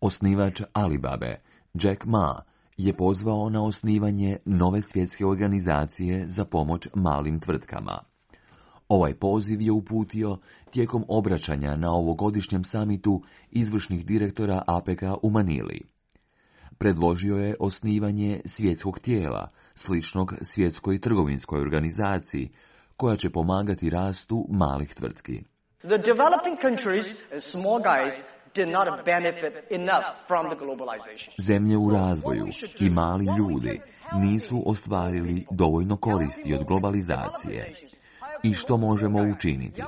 Osnivač Alibabe, Jack Ma, je pozvao na osnivanje nove svjetske organizacije za pomoć malim tvrtkama. Ovaj poziv je uputio tijekom obraćanja na ovogodišnjem samitu izvršnih direktora APEC-a u Manili. Predložio je osnivanje svjetskog tijela, sličnog svjetskoj trgovinskoj organizaciji, koja će pomagati rastu malih tvrtki. The developing countries and small guys did not benefit enough from the globalization. Zemlje u razvoju i mali ljudi nisu ostvarili dovoljno koristi od globalizacije. I što možemo učiniti?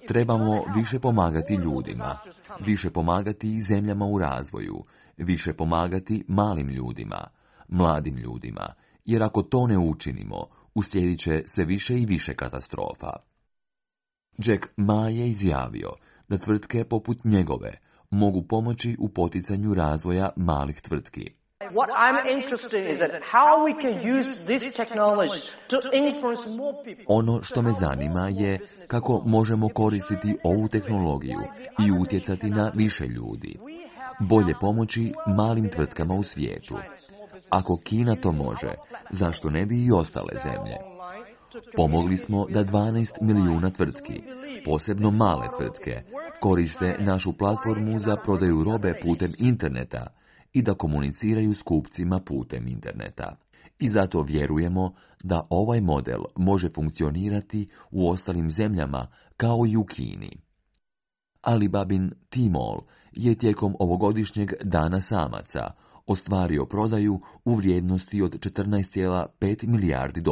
Trebamo više pomagati ljudima, više pomagati i zemljama u razvoju, više pomagati malim ljudima, mladim ljudima, jer ako to ne učinimo, uslijedit će sve više i više katastrofa. Jack Ma je izjavio da tvrtke poput njegove mogu pomoći u poticanju razvoja malih tvrtki. What I'm interested is that how we can use this technology to influence more people. Ono što me zanima je kako možemo koristiti ovu tehnologiju i utjecati na više ljudi. Bolje pomoći malim tvrtkama u svijetu. Ako Kina to može, zašto ne bi i ostale zemlje? Pomogli smo da 12 milijuna tvrtki, posebno male tvrtke, koriste našu platformu za prodaju robe putem interneta i da komuniciraju s kupcima putem interneta. I zato vjerujemo da ovaj model može funkcionirati u ostalim zemljama kao i u Kini. Alibabin Tmall je tijekom ovogodišnjeg dana samaca ostvario prodaju u vrijednosti od $14,5 milijardi.